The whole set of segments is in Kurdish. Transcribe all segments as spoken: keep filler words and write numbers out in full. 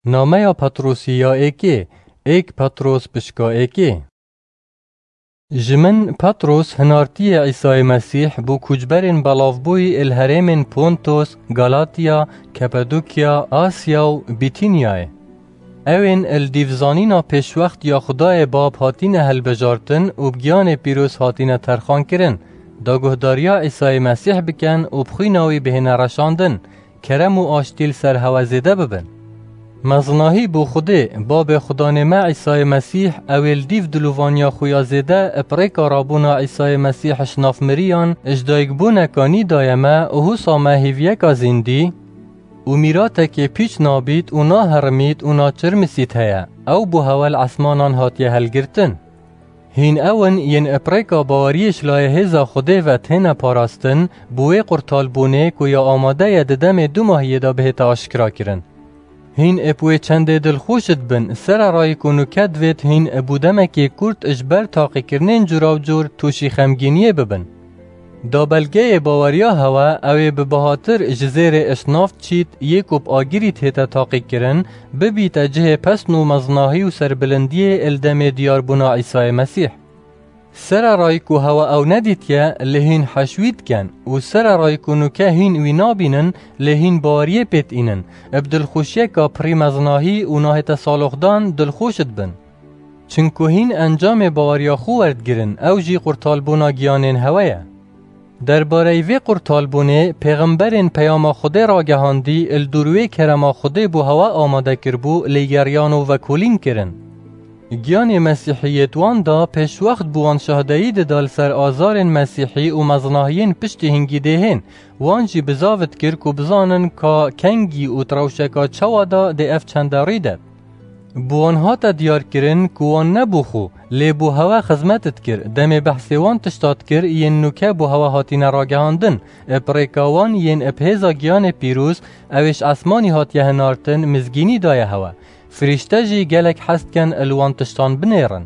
Nameya Petrosî ya êkê, êk Petros pişka êkê. Ji min Petros hinartiyê Îsayê Mesîh bo koçberên belavbûyî il herêmên Pontos, Galatiya, Kapadokya, Asya û Bîtînyayê. Ew ên il dîv zanîna pêşwext ya Xudayê Bab hatîne hilbijartin û bi giyanê pîroz hatîne terxankirin, da guhdariya Îsayê Mesîh bikin û bi xwîna wî bihêne reşandin, kerem û aştî li ser hewe zêde bibin. Mezinahî bo Xwedê, Babê Xudanê me Îsayê Mesîh, ew ê li dîv dilovaniya xwe ya zêde, bi rêka rabûna Îsayê Mesîh ji nav miriyan, ji dayikbûneka nî daye me û husa me hêviyeka zîndî û mîratekê pîç nabît û naherimît û naçirmisît heye, ew bo hewe li esmanan hatiye helgirtin. Hîn ew in yên bi rêka baweriyê ji layê hêza Xwedê ve têne parastin, bi wê qurtalbûnê ku ya amade ye di demê dumahiyê de bihête aşkerakirin. Hîn bi wê çendê dilxweş dibin, sererayî ku nûke divêt hîn bo demekê kurt ji ber taqîkirinên cûrawcûr tûşî xemgîniyê bibin. Da belgeyê baweriya hewe, ew ê bi bihatir ji zêrê ji nav çît, yê ku bi agirî tête taqîkirin, bibîte cihê pesn û mezinahî û serbilindiyê li demê diyarbûna Îsayê Mesîh. Sererayî ku hewe ew nedîtiye, lê hîn heş wî dikin û sererayî ku nûke hîn wî nabînin, lê hîn baweriyê pê diînin, bi dilxweşiyeka pirî mezinahî û nahête saloxdan dilxweş dibin. Çinku hîn encamê baweriya xwe werdigirin, ew jî qurtalbûna giyanên hewe ye. Derbareyî vê qurtalbûnê, pêxemberên peyama Xwedê ragehandî, li dûr wê kerema Xwedê bo hewe amade kiribû, lê geriyan û vekolîn kirin. Giyanê Mesîhî yê di wan de pêşwext bi wan şahdeyî dida li ser azarên Mesîhî û mezinahiyên piştî hingî dê hên, wan jî bizav dikir ku bizanin ka kengî û di rewşeka çawa de dê ev çende rî de. Bi wan hate diyarkirin ku wan ne bo xwe, lê bo hewe xizmet dikir, demê behsê wan tişta dikir yên nûke bo hewe hatine ragehandin, bi rêka wan yên bi hêza giyanê pîroz, ew ê ji esmanî hatiye hinartin, mizgînî daye hewe. Firîşte jî gelek hez dikin li wan tiştan binêrin.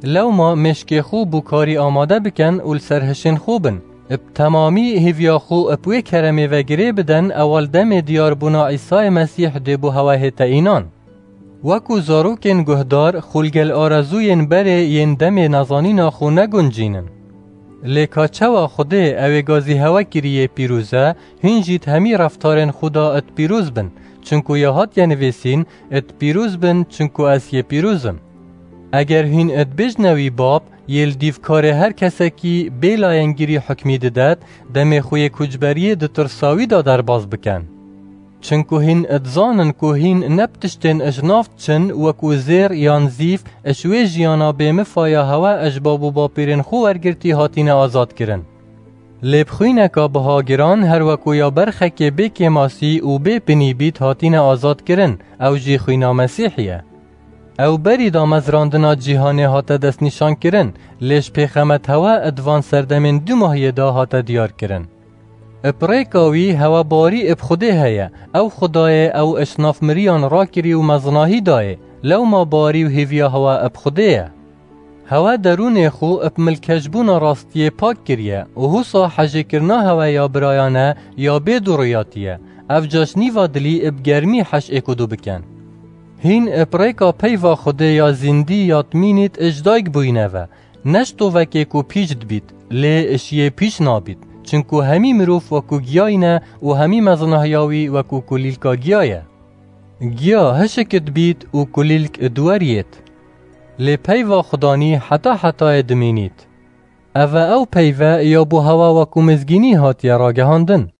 Lewma mêşkê xwe bo karî amade bikin û li ser hişên xwe bin. Bi temamî hêviya xwe bi wê keremê ve girê bidin, ewa li demê diyarbûna Îsayê Mesîh dê bo hewe hête înan. Wekû zarokên guhdar, xulgel arezûyên berê yên demê nezanîna xwe neguncînin. Lê ka çawa Xwedê ew ê gazî hewe kirî yê pîroz e, hîn jî di hemî reftarên xwe de di pîroz bin, çinku ya hatiye nivîsîn, di pîroz bin, çinku ez yê pîroz im. Eger hîn dibêjne wî Bab, yê li dîv karê her kesekî bê layengirî hukmî didet, demê xwe yê koçberiyê di tirsa wî de derbas bikin. Çinku hîn dizanin ku hîn ne bi tiştên ji nav diçin, wekû zêr yan zîv, ji wê jiyana bêmifa ya hewe ji bab û bapîrên xwe wergirtî hatine azadkirin. Lê bi xwîneka biha giran, her wekû ya berxekê bê kêmasî û bê pinî bît, hatine azadkirin, ew jî xwîna Mesîhî ye. Ew berî damezrandina cîhanê hate destnîşankirin, lê ji pêxemet hewe di van serdemên dumahiyê de hate diyarkirin. Bi rêka wî hewe barî bi Xwedê heye, ew Xwedayê ew ji nav miriyan rakirî û mezinahî dayê, lewma barî û hêviya hewe bi Xwedê ye. Hewe derûnê xwe bi milkeşbûna rastiyê pak kiriye û husa hejêkirina hewe ya birayane ya bê duriyatî ye, ev ca ji nîva dilî bi germî heş êk û du bikin. Hîn bi rêka peyva Xwedê ya zîndî ya dimînît ji dayik bûyîne ve, ne ji tovekê ku pîç dibît, lê ji yê pîç nabît, çinku hemî mirov wekû giyayî ne û hemî mezinahiya wî wekû kulîlka giya ye. Giya hişk dibît û kulîlk diweriyêt. Lê peyva Xudanî heta hetayê dimînît. Ev e ew peyve ya bo hewa wekû mizgînî hatiye ragehandin.